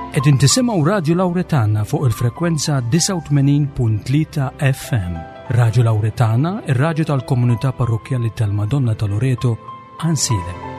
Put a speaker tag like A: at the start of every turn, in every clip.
A: Qegħdin tisimgħu Radju Lawretana fuq il-frekwenza 89.3 FM. Radju Lawretana, ir-radju tal-komunità parrokkjali tal-Madonna ta' Loreto, Ansilem.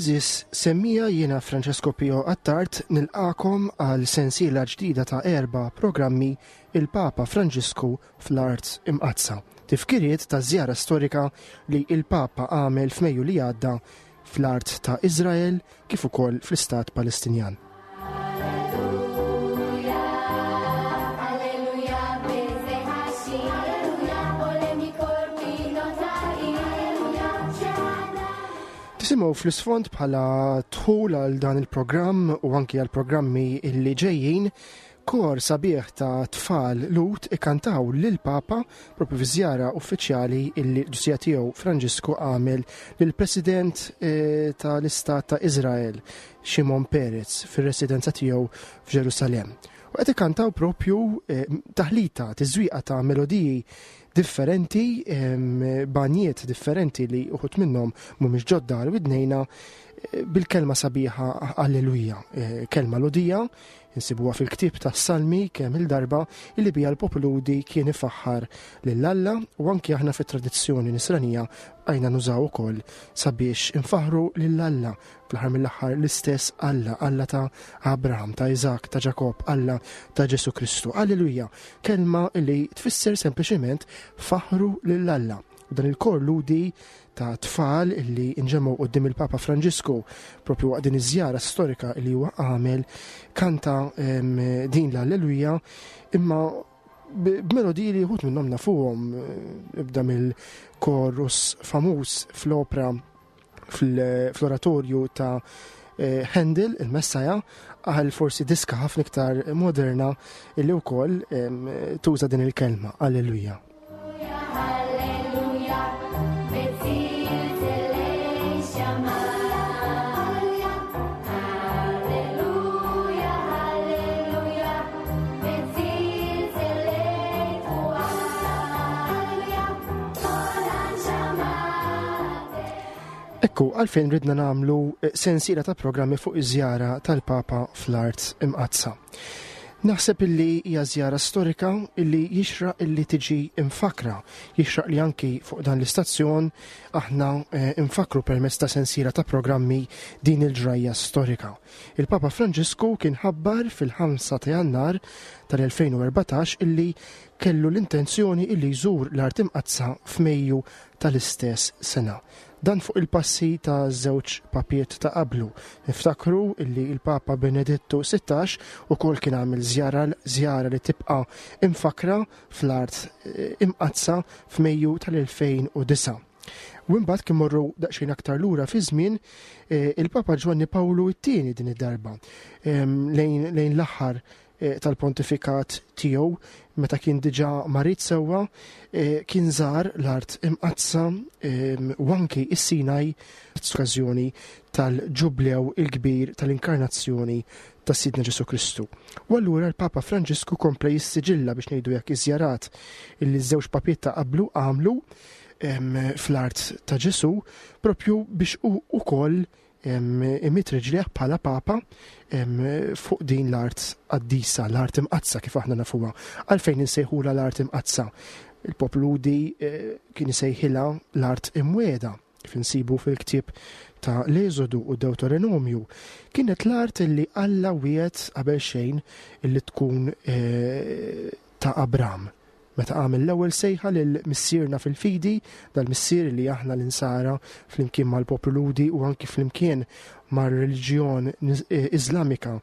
B: Eżis, semmija jiena Francesco Pio Attard nilqakom għal sensiela ġdida ta' erba' programmi il-Papa Franġisku fl-Art Imqaddsa. Tifkiriet ta' żjara storika li il-Papa għamel f'Mejju li għadda fl-art ta' Iżrael kif ukoll fl-Istat Palestinjan. Tisimgħu fl-isfond bħala dħul għal dan il-programm u anki għal programmi illi ġejjin Kor sabiħ ta' tfal Lhud ikkantaw lill-Papa propju fi żjara uffiċjali illi l-Qdusija Tiegħu Franġisku għamel lill-President eh, tal-Istat ta' Iżrael, Shimon Peres, fir-residenza tiegħu f'Ġerusalemm. U qed ikkantaw propju eh, taħlita, tiżwieqa ta' melodiji differenti, banjiet differenti li uħut minnhom mhumiex ġodda għal widnejna eh, bil-kelma sabiħa Alleluja, kelma lodija Insibuha fil-ktieb tas-Salmi kemm il-darba illi biha l-poplu Lhudi kien ifaħħar lil Alla u anki aħna fit-tradizzjoni nisranija bqajna nużaw ukoll sabiex infaħħru lil Alla fl-aħħar mill-aħħar l-istess Alla, Alla ta' Abraham, ta' Iżak, ta' Ġakobb, Alla ta' Ġesù Kristu. Alleluja, kelma li tfisser sempliċement faħħru lil Alla. U dan il-kor Lhudi ta' tfal illi nġemgħu quddiem il-Papa Franġisku propju waqt din iż-żjara storika li huwa għamel kanta din l-Alleluja imma b'melodiji li wħud minnhom nafuhom ibda mill-korus famuż fl-opra fl-oratorju ta' eh, Handel, il-Messaja, għal forsi diska ħafna iktar moderna illi wkoll tuża din il-kelma, Alleluja. Ekku, għalfejn ridna nagħmlu eh, sensiela ta' programmi fuq iż-żjara tal-Papa fl-Art Imqaddsa. Naħseb illi hija żjara storika illi jixraq illi tiġi imfakra, jixraq li anki fuq dan l-istazzjon aħna eh, infakru permezz ta' sensiela ta' programmi din il-ġrajja storika. Il-Papa Franġisku kien ħabbar fil-5 ta' Jannar tal-2014 illi kellu l-intenzjoni illi jżur l-Art Imqaddsa f'Mejju tal-istess sena. Dan fuq il-passi ta' żewġ papiet ta' qablu. Niftakru illi il-Papa Benedittu 16 ukoll kien għamel żjara żjara li tibqa' imfakra fl-art eh, imqaddsa f'Mejju tal-2009. U imbagħad kien morru daqsxejn aktar lura fi żmien eh, il-Papa Ġwanni Pawlu t-tieni din id-darba ehm, lejn l-aħħar Eh, tal-pontifikat tiegħu meta kien diġà marid sewwa eh, kien żar l-art imqaddsa ehm, u anki is-Sinaj f'okkażjoni tal-ġublew il-kbir tal-inkarnazzjoni ta' Sidna Ġesu Kristu. U allura l-Papa Franġisku kompla jissiġilla biex ngħidu jekk iż-żjarat illi ż-żewġ papiet ta' qablu għamlu. fl-art ta' Ġesù propju biex hu ukoll imidd riġlejh bħala Papa fuq din l-art qaddisa, l-art imqaddsa kif aħna nafuha. Għalfejn insejħulha l-art imqaddsa? Il-poplu Lhudi eh, kien isejħilha l-art imwiegħda kif insibu fil-ktieb ta' l-Eżodu u Deuteronomju. Kienet l-art li Alla wiegħed qabel xejn li tkun eh, ta' Abram. Meta għamel l-ewwel sejħa lil missierna fil-fidi, dal-missier li aħna l-Insara flimkien mal-poplu Lhudi u anki flimkien mar-reliġjon eh, Iżlamika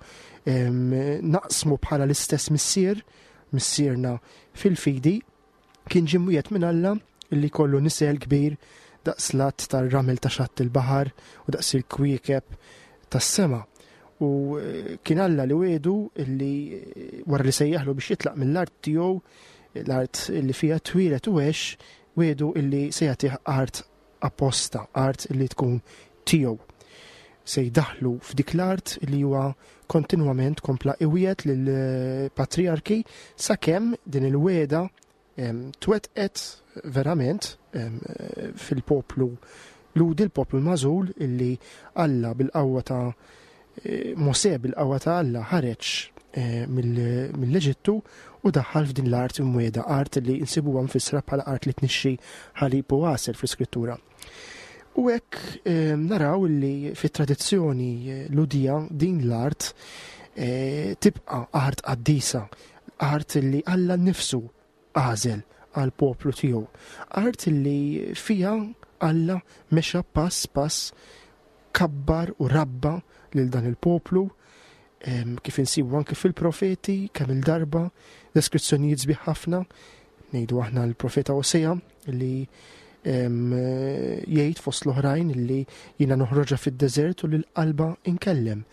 B: naqsmu bħala l-istess missier, missierna fil-fidi, kien ġie mwiegħed minn Alla li kollu nisel kbir daqs l-att tar-ramel ta' xatt il-baħar u daqs il-kwiekeb tas-sema. U eh, kien Alla li wiedu li eh, wara li sejjaħlu biex jitlaq mill-art tiegħu, l-art li fiha twieled u għex, wiedu illi se jagħtih art apposta, art li tkun tiegħu. Se jdaħlu f'dik l-art li huwa kontinwament kompla iwiegħed lill-patriarki sakemm din il-wegħda twettqet verament fil-poplu Lhudi, l-poplu l-magħżul illi Alla bil-qawwa ta' eh, Mosè bil-qawwa ta' Alla ħareġ eh, mill-Eġittu u daħħal f'din l-art imwiegħda, art li nsibuha mfissra bħala art li tnixxi ħalib u għasel fl-Iskrittura. U hekk eh, naraw li fit-tradizzjoni Lhudija din l-art tibqa' art qaddisa, Art li Alla nnifsu għażel għall-poplu tiegħu. Art li fiha Alla mexa pass pass kabbar u rabba lil dan il-poplu kif insibu anke fil-profeti kemm il-darba deskrizzjonijiet sbieħ ħafna ngħidu aħna l-profeta Osea li jgħid fost l-oħrajn li jiena noħroġha fid-deżert u lil qalba inkellem.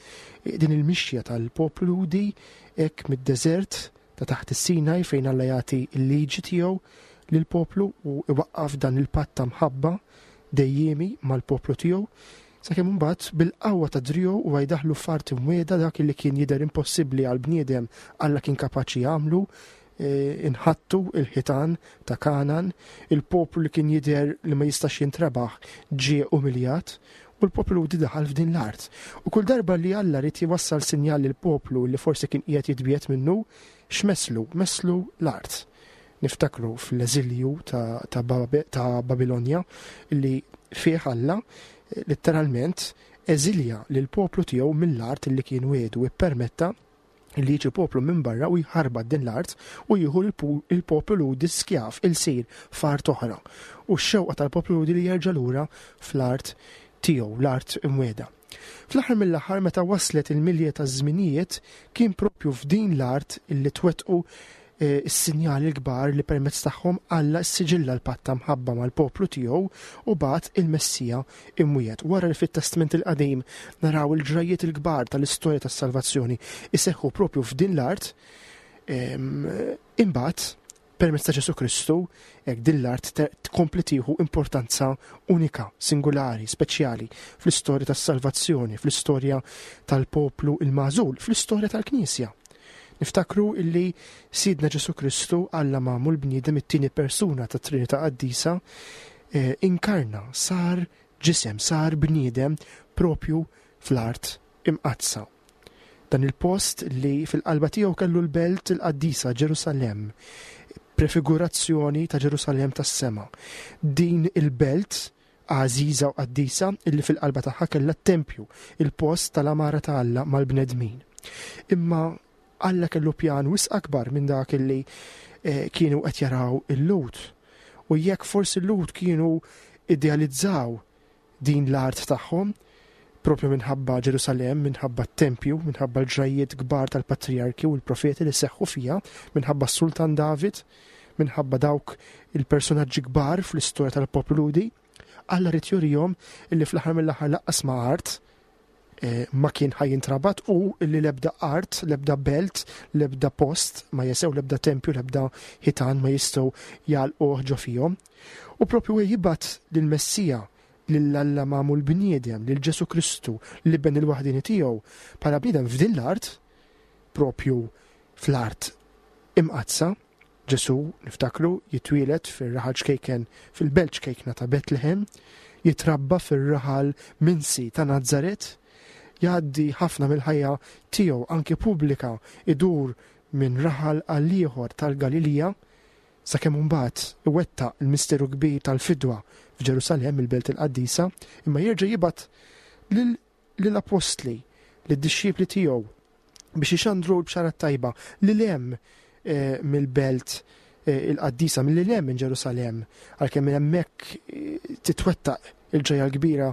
B: Din il-mixja tal-poplu Lhudi hekk mid-deżert ta' taħt is-Sinaj fejn Alla jagħti l-liġi tiegħu lill-poplu u iwaqqaf dan il-patt ta' mħabba dejjiemi mal-poplu tiegħu sakemm imbagħad bil-qawwa ta' driegħu huwa jdaħħlu f'art imwiegħda dak li kien jidher impossibbli għall-bniedem Alla kien kapaċi jagħmlu E, inħattu il-ħitan ta' Kanan, il-poplu li kien jidher li ma jistax jintrebaħ ġie umiljat u l-poplu Lhudi daħal f'din l-art. U kull darba li Alla ried jwassal sinjal lill-poplu li forsi kien qiegħed jitbiegħed minnu, x'messlu? Messlu l-art. Niftakru fl-eżilju ta', ta, ta Babilonja li fih Alla letteralment eżilja lill-poplu tiegħu mill-art li kien wiegħdu ippermetta li jiġi poplu minn barra u jħarbat din l-art u jieħu l-poplu Lhudi skjav, ilsir, f'art oħra. U x-xewqa tal-poplu Lhudi li jerġa' lura fl-art tiegħu, l-art imwiegħda. Fl-aħħar mill-aħħar meta waslet il-milja taż-żminijiet kien propju f'din l-art li twettqu is-sinjali l-kbar li permezz tagħhom Alla ssiġilla l-patt ta' mħabba mal-poplu tiegħu u bagħat il-Messija imwiegħed. Wara li fit-Testment il-Qadim naraw il-ġrajjiet il-kbar tal-istorja tas-salvazzjoni iseħħu propju f'din l-art, imbagħad permezz ta' Ġesù Kristu, hekk din l-art tkompli tieħu importanza unika, singulari, speċjali fl-istorja tas-salvazzjoni, fl-istorja tal-poplu il-magħżul, fl-istorja tal-Knisja. Niftakru illi Sidna Ġesù Kristu, Alla magħmul bniedem it-tieni persuna tat-Trinità Qaddisa, eh, inkarna, sar ġisem, sar bniedem propju fl-art imqaddsa. Dan il-post li fil-qalba tiegħu kellu l-belt il-qaddisa Ġerusalemm, prefigurazzjoni ta' Ġerusalemm tas-sema. Din il-belt għażiża u qaddisa illi fil-qalba tagħha kellha t-tempju, il-post tal-għamara ta' Alla mal-bnedmin. Imma Alla kellu pjan wisq akbar minn dak illi eh, kienu qed jaraw il-Lhud. U jekk forsi l-Lhud kienu idealizzaw din l-art tagħhom, propju minħabba Ġerusalemm, minħabba t-tempju, minħabba l-ġrajjiet kbar tal-patrijarki u l-profeti li seħħu fiha, minħabba s-Sultan David, minħabba dawk il-personaġġi kbar fl-istorja tal-poplu Lhudi, Alla ried jurihom illi fl-aħħar mill-aħħar laqqas ma' art eh, ma kien ħaj jintrabat u illi l-ebda art, l-ebda belt, l-ebda post ma jesew, l-ebda tempju, l-ebda ħitan ma jistgħu jgħalquh ġo fihom. U propju jibgħat lill-Messija lil Alla magħmul bniedem, lil Ġesù Kristu, l-Iben il-waħdieni tiegħu, bħala bniedem f'din l-art, propju fl-art imqaddsa. Ġesù, niftakru, jitwieled fir-raħal ċkejken fil-belt ċkejkna ta' Betlehem, jitrabba fir-raħal minsi ta' Nazaret, jgħaddi ħafna mill-ħajja tiegħu anki pubblika idur minn raħal għal ieħor tal-Galilija, sakemm imbagħad iwettaq il-misteru kbir tal-fidwa f'Ġerusalemm, il-Belt il-Qaddisa, imma jerġa' jibgħat lill-appostli, lid-dixxipli tiegħu biex ixandru l-bxara tajba lil hemm eh, mill-belt eh, il-qaddisa, mill hemm minn Ġerusalemm, għalkemm minn hemmhekk eh, titwettaq il-ġajja l-kbira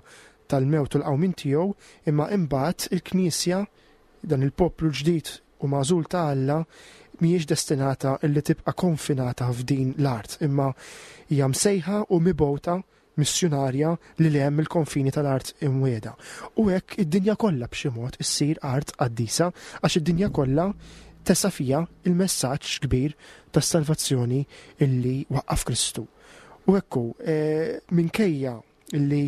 B: tal-mewt u l-qawmien tiegħu, imma imbagħad il-Knisja dan il-poplu ġdid u magħżul ta' Alla mhijiex destinata illi tibqa' konfinata f'din l-art, imma hija msejħa u mibgħuta missjunarja lil hemm mill-konfini tal-art imwiegħda. U hekk id-dinja kollha b'xi mod issir art qaddisa għax id-dinja kollha tesa' fiha il-messaġġ kbir tas-salvazzjoni illi waqqaf Kristu. U hekk hu, minkejja illi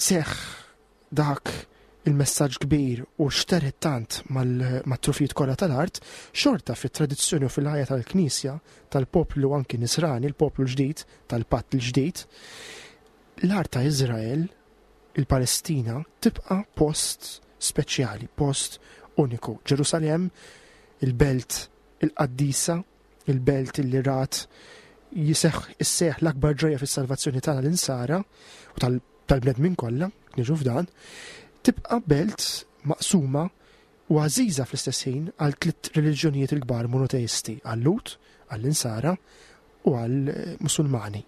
B: seħħ dak il-messaġġ kbir u xtered tant mat-trufijiet kollha tal-art, xorta fit-tradizzjoni u fil-ħajja tal-Knisja, tal-poplu anki Nisrani, il-poplu l-ġdid, tal-Patt il-Ġdid, l-art ta' Iżrael, il-Palestina, tibqa' post speċjali, post uniku. Ġerusalemm, il-belt il-qaddisa, il-belt li rat jiseħ isseħ l-akbar ġrajja fis-salvazzjoni tagħna l-insara u tal-bnedmin kollha, niġu f'dan, tibqa' belt maqsuma u għażiża fl-istess ħin għal tliet reliġjonijiet il-kbar monoteisti, għal-Lhud, għall-Insara u għall-Musulmani.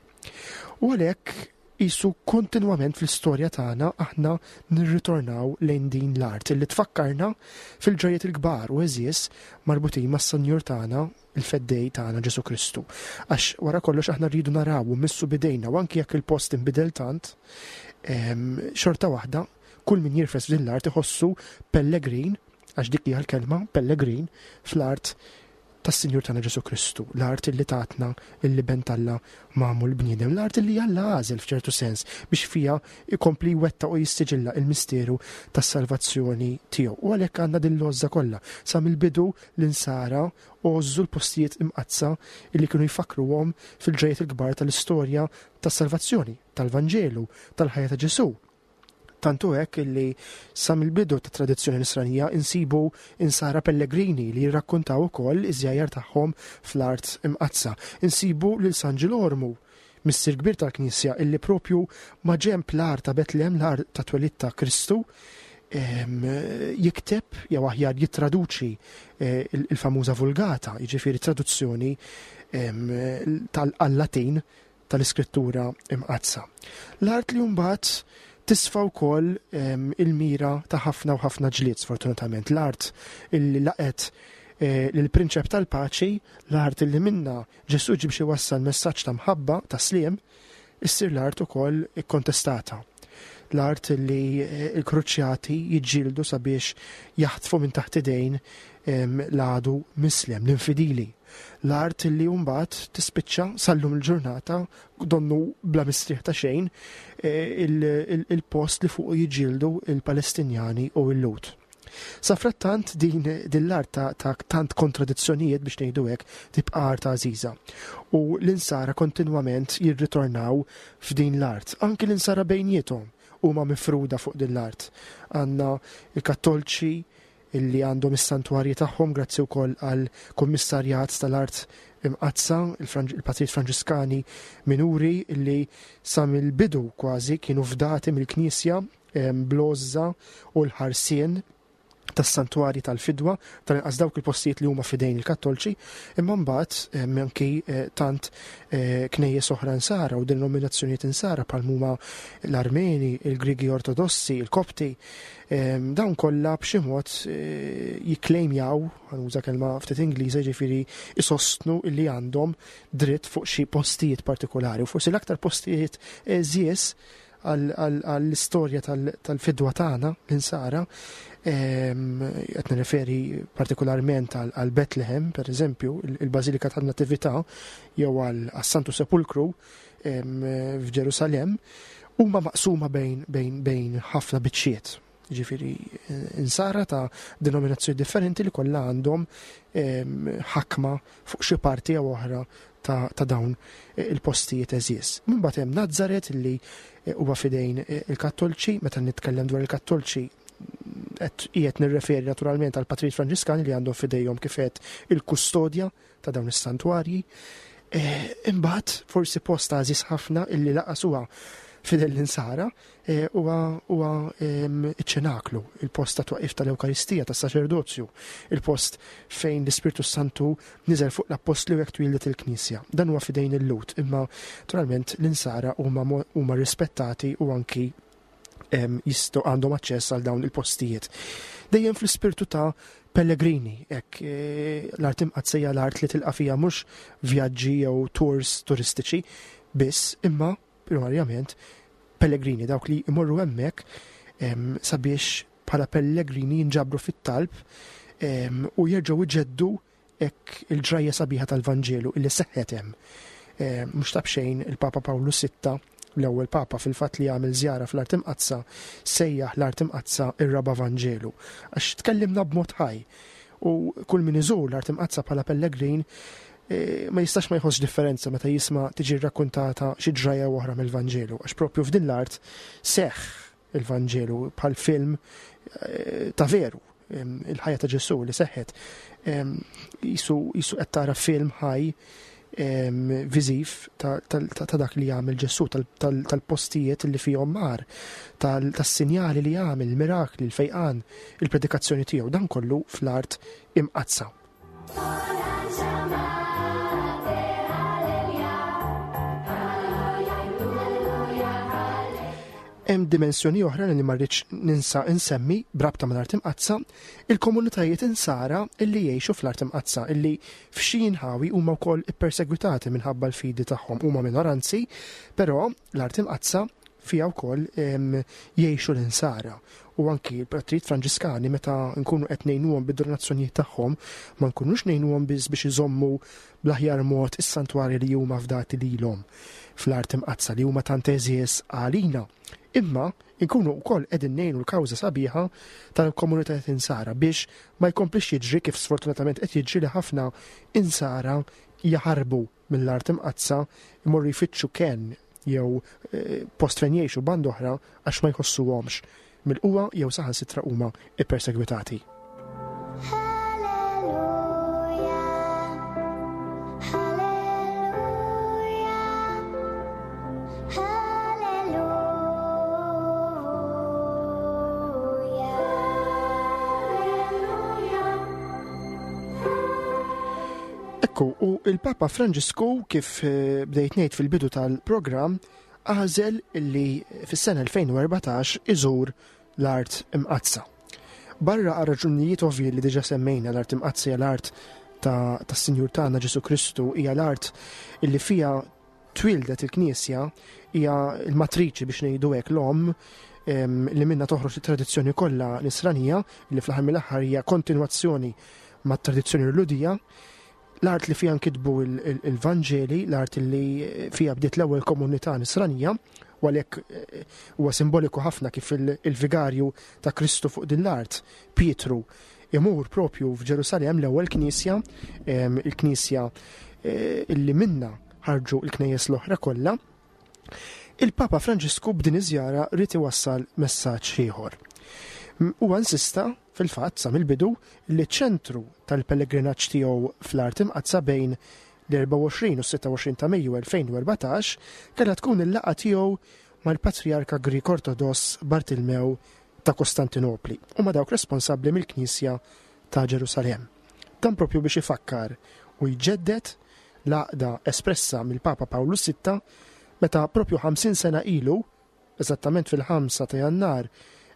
B: U għalhekk qisu kontinwament fl-istorja tagħna aħna nirritornaw lejn din l-art li tfakkarna fil-ġrajjiet il-kbar u għeżież marbutin mas-Senjur tagħna il-Feddej tagħna Ġesù Kristu. Għax wara kollox aħna rridu naraw u mmissu b'idejna u anki jekk il-post inbidel tant, xorta waħda kull min jirfes f'din l-art iħossu pellegrin, għax dik hija l-kelma, pellegrin, fl-art tas-Sinjur tagħna Ġesù Kristu, l-art li tatna l-Iben t'Alla magħmul bniedem, l-art li Alla għażel f'ċertu sens biex fiha jkompli jwettaq u jissiġilla il-misteru tas-salvazzjoni tiegħu. U għalhekk għandna din l-għożża kollha sa mill-bidu l-insara għożżu l-postijiet imqaddsa li kienu jfakkruhom fil-ġrajjiet il-kbar tal-istorja tas-salvazzjoni, tal-Vanġelu, tal-ħajja ta' Ġesù. Tant hu hekk illi sa mill-bidu tat-tradizzjoni Nisranija insibu insara pellegrini li jirrakkuntaw ukoll iż-żjajjar tagħhom fl-Art Imqaddsa. Insibu lil San Ġilormu, missier kbir tal-Knisja illi propju maġenb l-għar ta' Betlehem, l-għar ta' twelid ta' Kristu, jikteb jew aħjar jittraduċi eh, il-famuża Vulgata, jiġifieri traduzzjoni tal-Latin tal-Iskrittura Imqaddsa. L-art li mbagħad tisfa wkoll il-mira ta' ħafna u ħafna ġlied sfortunatament. L-art illi laqet eh, lill-prinċep tal-paċi, l-art illi minna Ġesù ġie biex iwassal messaġġ ta' mħabba, ta' sliem, issir l-art ukoll ikkontestata. L-art li eh, l-kruċjati jiġġieldu sabiex jaħtfu minn taħt idejn l-għadu mislem, l-infidili. L-art li mbagħad tispiċċa sal-lum il-ġurnata donnu bla mistrieħ ta' xejn eh, il-post li fuq jiġġieldu il-Palestinjani u l-Lut. Safrattant din din l-art ta', ta tant kontradizzjonijiet biex ngħidu hekk tibqa' art għażiża. U l-insara kontinwament jirritornaw f'din l-art. Anki l-insara bejniethom huma mifruda fuq din l-art. Għandna il-Kattolċi illi għandhom is-santwarji tagħhom grazzi wkoll għal kummissarjat tal-art imqaddsa, il-Patrijiet Franġiskani Minuri illi sa mill-bidu kważi kienu fdati mill-Knisja bl-għożża u l-ħarsien tas-santwarji tal-fidwa, tal-inqas dawk il-postijiet li huma f'idejn il-Kattolċi, imma mbagħad anki eh, tant eh, knejjes oħra nsara u denominazzjonijiet insara bħal huma l-Armeni, il-Grigi Ortodossi, il-Kopti, dawn kollha b'xi mod eh, jikklejmjaw, ħanuża kelma ftit Ingliża, ġifieri isostnu li għandhom dritt fuq xi postijiet partikolari u forsi l-aktar postijiet żies għall-istorja tal-fidwa tagħna l-insara, qed nirreferi partikolarment għal Bethlehem, per eżempju, il-Bażilika tan-Natività jew għal Santu Sepulkru f'Ġerusalemm, huma maqsuma bejn ħafna biċċiet. jiġifieri eh, insara ta' denominazzjoni differenti li kollha għandhom ehm, ħakma fuq xi parti jew oħra ta', ta dawn eh, il-postijiet eżies. Mbagħad hemm Nazzaret li eh, huwa fidejn il-Kattolċi, meta nitkellem dwar il-Kattolċi qed qiegħed nirreferi naturalment għal patrijiet Franġiskani li għandhom fidejhom kif qed il-kustodja ta' dawn is-santwarji. Eh, imbagħad forsi post għażiż ħafna illi laqas huwa fidel l-insara eh, huwa huwa ehm, iċ-ċenaklu, il-post ta' twaqif tal-Ewkaristija, tas-saċerdozju, il-post fejn l-Ispirtu Santu niżel fuq l-appostli u hekk twildet il-Knisja. Dan huwa fidejn il-Lut, imma naturalment l-insara huma rispettati u anki jistgħu għandhom aċċess għal dawn il-postijiet. Dejjem fl-ispirtu ta' pellegrini, hekk eh, l-art imqaddsa hija l-art li tilqa' fija mhux vjaġġi jew tours turistiċi biss, imma primarjament pellegrini dawk li jmorru hemmhekk sabiex bħala pellegrini jinġabru fit-talb u jerġgħu iġeddu Hekk il-ġrajja sabiħa tal-Vanġelu illi seħħet hemm. Eh, mhux ta' b'xejn il-Papa Pawlu Sitta, l-ewwel Papa fil-fatt li għamel żjara fl-Art Imqaddsa, sejjaħ l-Art Imqaddsa ir-Raba' Vanġelu. Għax tkellimna b'mod ħaj. U kull min iżur l-Art Imqaddsa bħala pellegrin eh, ma jistax ma jħossx differenza meta jisma' tiġi rrakkuntata xi ġrajja oħra mill-Vanġelu, għax propju f'din l-art seħħ Il-Vanġelu bħal film eh, ta' veru, il-ħajja ta' Ġesù li seħħet. Jisu qed tara film ħaj viżiv ta' dak li jagħmel Ġesù, tal-postijiet li fihom mar, tas-sinjali li jagħmel, il-mirakli, il-fejqan, il-predikazzjoni tiegħu, dan kollu fl-art imqaddsa. Hemm dimensjoni oħra li ma rridx ninsa insemmi brabta mal-Art Imqaddsa, il-komunitajiet insara illi jgħixu fl-Art Imqaddsa illi f'xi inħawi huma wkoll ippersegwitati minħabba l-fidi tagħhom huma minoranzi, però l-Art Imqaddsa fiha wkoll jgħixu l-insara u anki l-patrijiet Franġiskani meta nkunu qed ngħinuhom bid-donazzjonijiet tagħhom ma nkunux ngħinuhom biss biex iżommu bl-aħjar mod is-santwarji li huma fdati lilhom fl-art imqaddsa li huma tant għeżież għalina. Imma nkunu wkoll qegħdin ngħinu l-kawża sabiħa tal-komunitajiet insara biex ma jkomplix jiġri kif sfortunatament qed jiġri li ħafna insara jaħarbu mill-Art Imqaddsa jmorru jfittxu kenn jew eh, post fejn jgħixu band oħra għax ma jħossuhomx milquha jew saħansitra huma ippersegwitati. Ekku, u il-Papa Franġisku kif eh, bdejt ngħid fil-bidu tal-programm għażel li fis-sena 2014 iżur l-art imqaddsa. Barra għal raġunijiet ovvji li diġa semmejna l-art imqaddsa hija l-art tas-Sinjur tagħna Ġesu Kristu hija l-art illi fiha twieldet il-Knisja hija l-matriċi biex ngħidu hekk l-omm li minna toħroġ it-tradizzjoni kollha nisranija li fl-aħħar mill-aħħar hija kontinwazzjoni mat-tradizzjoni Lhudija. L-art li fiha nkitbu il-Vanġeli, l-art li fiha bdiet l-ewwel komunità nisranija, u għalhekk eh, huwa simboliku ħafna kif il-vigarju ta' Kristu fuq din l-art, Pietru, imur propju f'Ġerusalemm l-ewwel knisja, il-knisja eh, illi minna ħarġu l-knejjes l-oħra kollha. Il-Papa Franġisku b'din iż-żjara ried iwassal messaġġ ieħor. Huwa insista fil-fatt sa mill-bidu li ċ-ċentru tal-pellegrinaġġ tiegħu fl-Art Imqaddsa bejn l-24 u s-26 ta' Mejju 2014 kellha tkun il-laqgħa tiegħu mal-Patrijarka Grieg Ortodoss Bartilmew ta' Kostantinopli u ma' dawk responsabbli mill-Knisja ta' Ġerusalemm. Dan propju biex ifakkar u jġedded l-għaqda espressa mill-Papa Pawlu Sitta meta propju 50 sena ilu, eżattament fil-5 ta' Jannar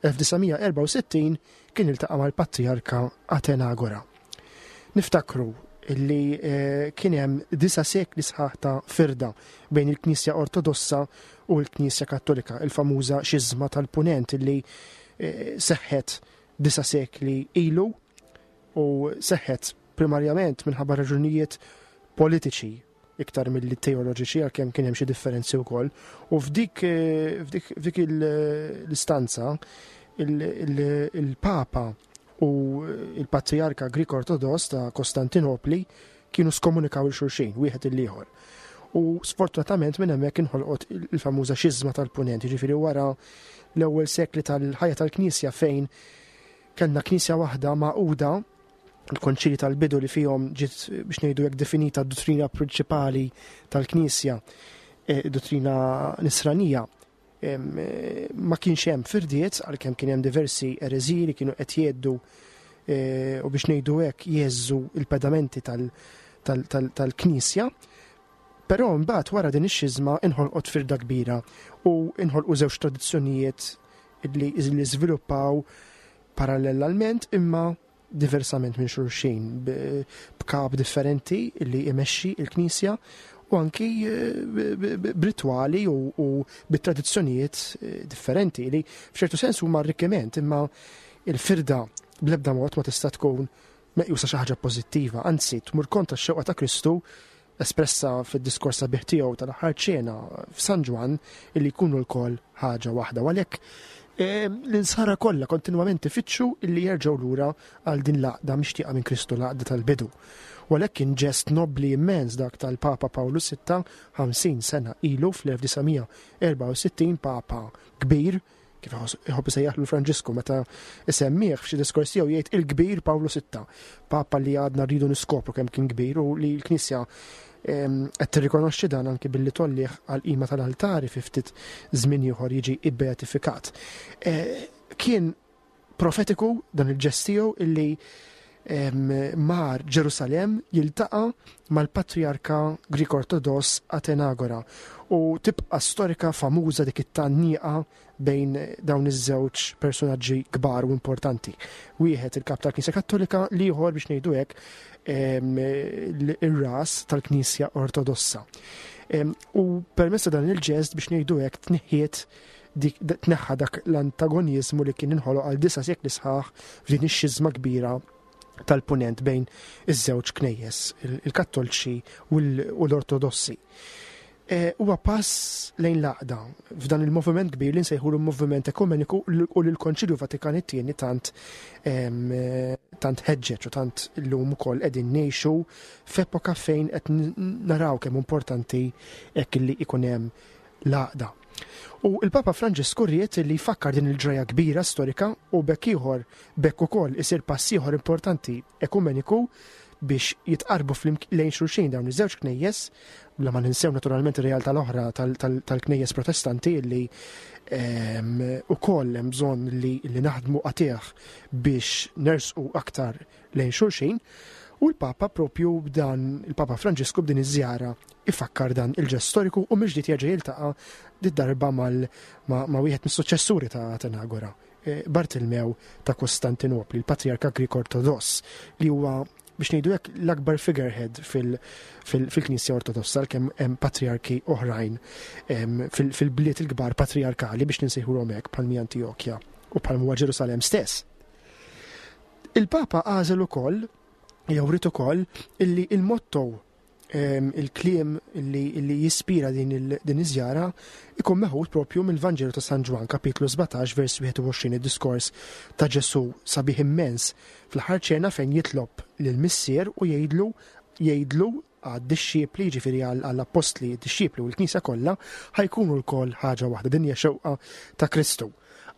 B: 1964, kien iltaqa' mal-Patrijarka Atenagora. Niftakru li eh, kien hemm disa' sekli sħaħ ta' firda bejn il-Knisja Ortodossa u l-Knisja Kattolika, il-famuża xiżma tal-Punent li eh, seħħet disa' sekli ilu u seħħet primarjament minħabba raġunijiet politiċi iktar milli teoloġiċi għalkemm kien hemm xi differenzi wkoll. U f'dik eh, f'dik l-istanza il-Papa u il-Patrijarka Grik Ortodoss ta' Kostantinopli kienu skomunikaw 'il xulxin, wieħed il-ieħor. U sfortunatament minn hemmhekk inħolqot il-famuża xiżma tal-Punent, jiġifieri wara l-ewwel sekli tal-ħajja tal-Knisja fejn kellna Knisja waħda magħquda, il-konċili tal-bidu li fihom ġiet biex ngħidu hekk definita d-duttrina prinċipali tal-Knisja, eh, duttrina nisranija, eh, ma kienx hemm firdiet għalkemm kien hemm diversi ereżiji li kienu qed jgħeddu eh, u biex ngħidu hekk jeżżu il-pedamenti tal-Knisja. Però mbagħad wara din ix-xiżma inħolqot firda kbira u inħolqu żewġ tradizzjonijiet li żviluppaw parallelament imma diversament minn xulxin b'kap differenti li imexxi il-Knisja u anki eh, b'ritwali u bit-tradizzjonijiet eh, differenti li f'ċertu sens huma arrikkiment imma il-firda bl-ebda mod ma tista' tkun meqjusa xi ħaġa pożittiva, anzi tmur kontra x-xewqa ta' Kristu espressa fid-diskors sabiħ tiegħu tal-aħħar ċena f'San Ġwann illi jkunu lkoll ħaġa waħda. U għalhekk eh, l-insara kollha kontinwament ifittxu illi jerġgħu lura għal din l-għaqda mixtieqa minn Kristu l-għaqda tal-bidu. U għalhekk kien ġest nobbli immens dak tal-Papa Pawlu VI 50 sena ilu fl-1964 Papa kbir kif iħobb isejjaħlu Franġisku meta isemmih f'xi diskors tiegħu jgħid il-kbir Pawlu VI, Papa li għadna rridu niskopru kemm kien kbir u li l-Knisja qed tirrikonoxxi dan anki billi tollih għal qima tal-altari fi ftit żmien ieħor jiġi ibbeatifikat. E, kien profetiku dan il-ġest tiegħu illi mar Ġerusalemm jiltaqa' mal-Patrijarka Grik Ortodoss Atenagora u tibqa' storika famuża dik it-tgħanniqa bejn dawn iż-żewġ personaġġi kbar u importanti. Wieħed il-kap tal-Knisja Kattolika, l-ieħor biex ngħidu hekk ir-ras tal-Knisja Ortodossa. U permezz ta' dan il-ġest biex ngħidu hekk tneħħiet dik tneħħa dak l-antagoniżmu li kien inħoloq għal disa' sekli sħaħ f'din ix-xiżma kbira tal-punent bejn iż-żewġ knejjes, il-Kattolċi u l-Ortodossi. E, huwa pass lejn l-għaqda f'dan il-moviment kbir li nsejħu l-moviment ekumeniku u li l-Konċilju Vatikan it-tieni tant tant ħeġġeġ u tant illum ukoll qegħdin ngħixu f'epoka fejn qed naraw kemm importanti hekk li ikun hemm l-għaqda. U l-Papa Franġisku ried li jfakkar din il-ġraja kbira storika u b'hekk ieħor b'hekk ukoll isir pass ieħor importanti ekumeniku biex jitqarrbu lejn xulxin dawn iż-żewġ knejjes, bla ma ninsew naturalment ir-realtà l-oħra tal-knejjes protestanti li ehm, ukoll hemm bżonn li naħdmu qatigħ biex nersqu aktar lejn xulxin, u l-Papa propju b'dan il-Papa Franġisku b'din iż-żjara ifakkar dan il-ġest storiku u mill-ġdid jerġa' jiltaqa' did-darba ma' wieħed mis-suċċessuri ta' Atenagora, eh, Bartilmew ta' Kostantinopli, il-Patriarka Grik Ortodoss, li huwa biex ngħidu hekk l-akbar figurehead fil-Knisja Ortodossa kemm hemm patriarki oħrajn fil-bliet il-kbar patriarkali biex ninsejħulhom hekk bħal Antiochja u bħal huwa Ġerusalemm stess. Il-Papa għażel ukoll, jew ried ukoll, illi il-motto ehm, il-kliem li jispira din iż-żjara ikun meħud propju mill-Vanġelu ta' San Ġwann kapitlu 17 vers 21 id-diskors ta' Ġesu sabiħ immens fl-aħħar ċena fejn jitlob lil missier u jgħidlu jgħidlu għad-dixxipli, jiġifieri għall-appostli, id-dixxipli u l-Knisja kollha, ħa jkunu lkoll ħaġa waħda. Din hija xewqa ta' Kristu.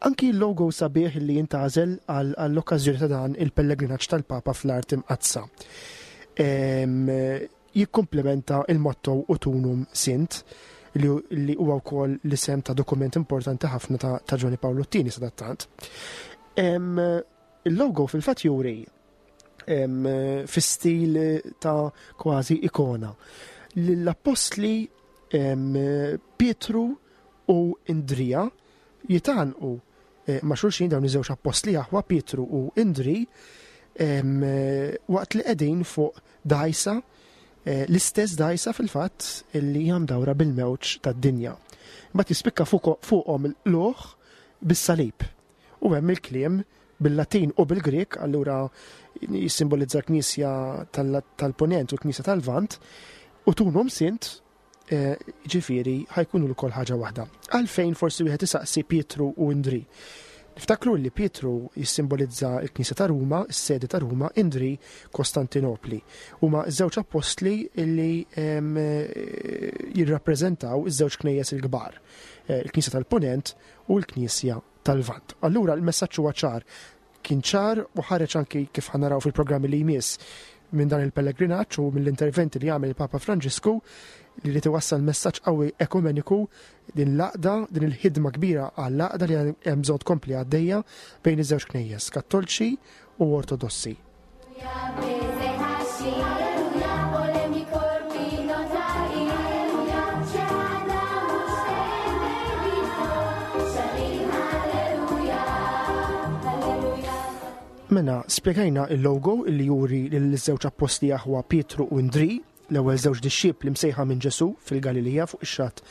B: Anki l-logo sabiħ li jintgħażel għall-okkażjoni ta' dan il-pellegrinaġġ tal-Papa fl-Art Imqaddsa jikkumplementa il-motto Utunum Sint li huwa wkoll l-isem ta' dokument importanti ħafna ta' Ġwanni Pawlu t-Tieni sadattant. Il-logo fil-fatt juri fi stil ta' kważi ikona. L-appostli Pietru u Indrija jitanqu eh, ma' xulxin dawn iż-żewġ appostli aħwa Pietru u Indri waqt li qegħdin fuq dajsa eh, l-istess dajsa fil-fatt li hija mdawra bil-mewġ tad-dinja. Mbagħad jispikka fuqhom il-qluħ bis-salib. U hemm il-kliem bil-Latin u bil-Grieg, allura jissimbolizza l-Knisja tal-Punent u l-Knisja tal-Lvant, u tunum sint, eh, ġifieri ħajkunu l-kol ħaġa waħda. Għalfejn forsi wieħed isaqsi Pietru u Indri. Niftakru li Pietru jissimbolizza l-Knisja ta' Ruma, is-sede ta' Ruma, Indri Kostantinopli. Huma żewġ appostli li jirrappreżentaw iż-żewġ knejjes il-kbar, eh, il-Knisja tal-Punent u l-Knisja tal-Lvant. Allura l-messaġġ huwa ċar. Kien ċar u ħareġ anki kif ħanaraw fil-programmi li jmiss minn dan il-pellegrinaġġ u mill-interventi li għamel il-Papa Franġisku li li iwassal messaġġ qawwi ekumeniku din l-għaqda, din il-ħidma kbira għall-għaqda li hemm bżonn tkompli għaddejja bejn iż-żewġ knejjes, Kattolċi u Ortodossi. Mela, spjegajna il-logo illi juri lill-żewġ appostli aħwa Pietru u Indri, l-ewwel żewġ dixxipli msejħa minn Ġesù fil-Galilija fuq ix-xatt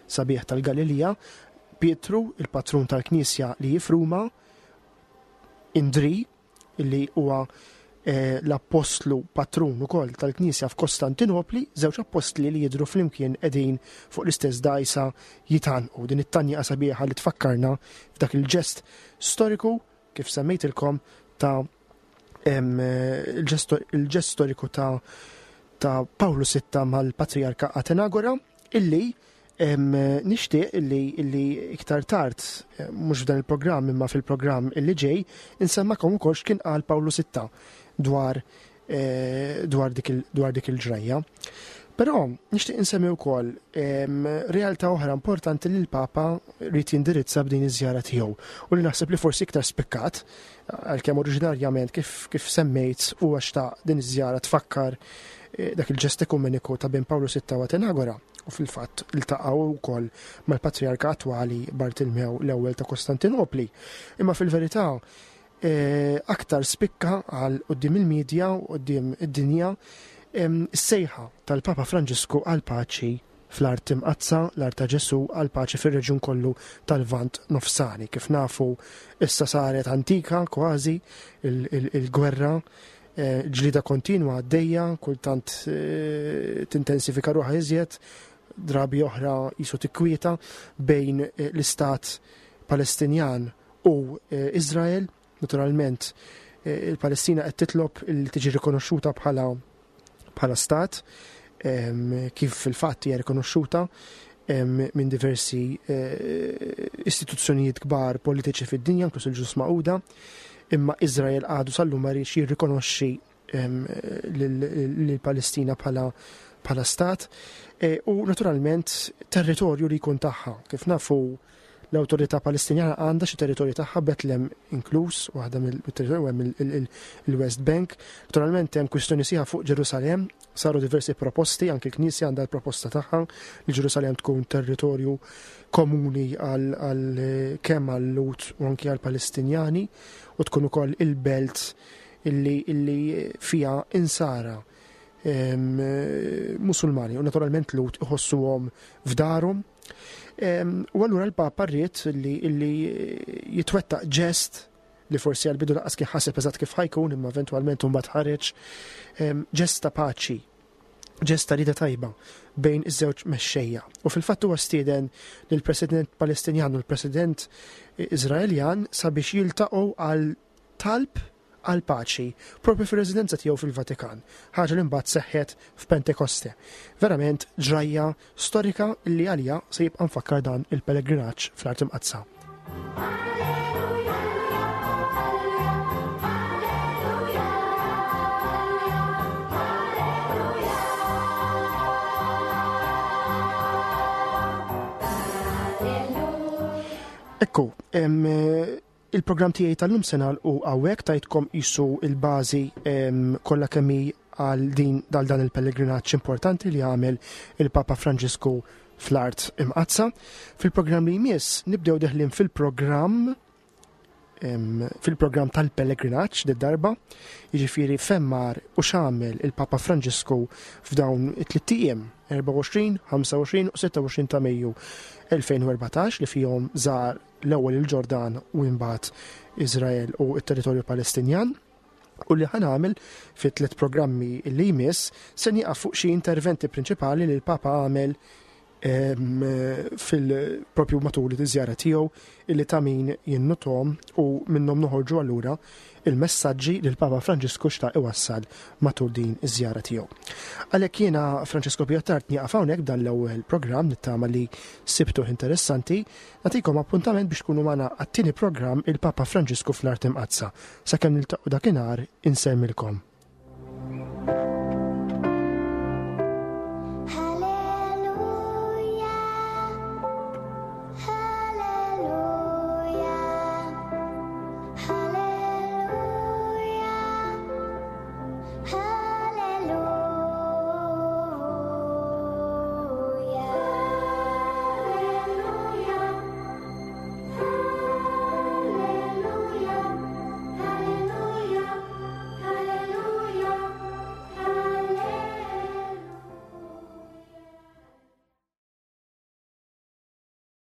B: sabiħ tal-Galilija, Pietru, il-patrun tal-Knisja li hi f'Ruma, Indri, li huwa eh, l-appostlu patrun ukoll tal-Knisja f'Kostantinopli, żewġ appostli li jidhru flimkien qegħdin fuq l-istess dgħajsa jitgħannqu. Din it-tanja sabiħa li tfakkarna f'dak il-ġest storiku kif semmejtilkom ta' il-ġest storiku ta' ta' Pawlu Sitta mal-Patrijarka Atenagora illi nixtieq illi, illi iktar tard, eh, mhux f'dan il-programm imma fil-programm illi ġej, insemmakom ukoll x'kien qal Pawlu Sitta dwar eh, dwar dik il-ġrajja. Però nixtieq insemmi wkoll realtà oħra importanti li l-Papa rrid jindirizza b'din iż-żjara tiegħu u li naħseb li forsi iktar spikkat għalkemm oriġinarjament kif, kif semmejt huwa xtaq din iż-żjara tfakkar eh, dak il-ġest ekumeniku ta' bin Pawlu VI u Atenagora u fil-fatt iltaqgħu wkoll mal-Patriarka attwali Bartilmew l-ewwel ta' Kostantinopli. Imma fil-verità eh, aktar spikka għal quddiem il-medja u quddiem id-dinja is-sejħa tal-Papa Franġisku għal paċi fl-Art Imqaddsa, l-Art ta' Ġesù, għall-paċi fir-reġjun kollu tal-Lvant Nofsani. Kif nafu issa saret antika kważi il-gwerra, eh, ġlida kontinwa għaddejja, kultant eh, tintensifika ruħha iżjed, drabi oħra jisu tikwieta bejn eh, l-istat Palestinjan u Izrael. Naturalment, il-Palestina qed titlob li tiġi rikonoxxuta bħala bħala stat, kif fil-fatt hija rikonoxxuta minn diversi eh, istituzzjonijiet kbar politiċi fid-dinja, inkluż il-Ġnus Magħquda, imma Izrael għadu sal-lum ma rridx jirrikonoxxi lill-Palestina bħala bħala stat e, u naturalment territorju li jkun tagħha. Kif nafu l-awtorità Palestinjana għandha xi territorju tagħha Betlem inkluż, waħda mill-territorju hemm il-West Bank. Naturalment hemm kwistjoni sieħa fuq Ġerusalemm, saru diversi proposti, anke l-Knisja għandha l-proposta tagħha li Ġerusalemm tkun territorju komuni għal kemm għal-Lut u anke għall-Palestinjani u tkun ukoll il-belt illi, illi fiha insara Musulmani u naturalment Lut iħossuhom f'darhom. U allura l-Papa rrid li, illi jitwettaq ġest li forsi għal-bidu laqqas kien ħaseb eżatt kif ħajkun imma eventwalment imbagħad ħareġ ġest ta' paċi ġest ta' rieda tajba bejn iż-żewġ mexxejja. U fil-fatt huwa stieden lill-President Palestinjan u l-President Iżraeljan sabiex jiltaqgħu għal talb għall-paċi, proprju fir-residenza tiegħu fil-Vatikan, ħaġa li mbagħad seħħet f'Pentekoste. Verament ġrajja storika li għaliha se jibqa' mfakkar dan il-pellegrinaġġ fl-Art Imqaddsa. Ekku, Il-programm tiegħi tal-lum se nagħlqu hawnhekk tajtkom qisu l-bażi kollha kemm hi għal din dal dan il-pellegrinaġġ importanti li għamel il-Papa Franġisku fl-Art Imqaddsa. Fil-programm li jmiss nibdew deħlin fil-programm fil-programm tal-pellegrinaġġ darba, jiġifieri femmar u x'għamel il-Papa Franġisku f'dawn it-tliet ijiem 24, 25 u 26 ta' Mejju 2014 li fihom żar l-ewwel il-Ġordan u imbagħad Iżrael u t-territorju Palestinjan. U li ħanamel fit tliet programmi li jmiss se nieqaf fuq xi interventi prinċipali li l-Papa għamel fil-propju matul iż-żjara tiegħu illi ta' min jinnutom u minnhom noħorġu allura il-messaġġi li l-Papa Franġisku xtaq iwassal matul din iż-żjara tiegħu. Għalhekk jiena Francesco Piottart nieqaf hawnhekk b'dan l-ewwel programm nittama li sibtuh interessanti. Nagħtikom appuntament biex tkunu magħna għat-tieni programm il-Papa Franġisku fl-Art Imqaddsa. Sakemm niltaqgħu dakinhar insellmilkom.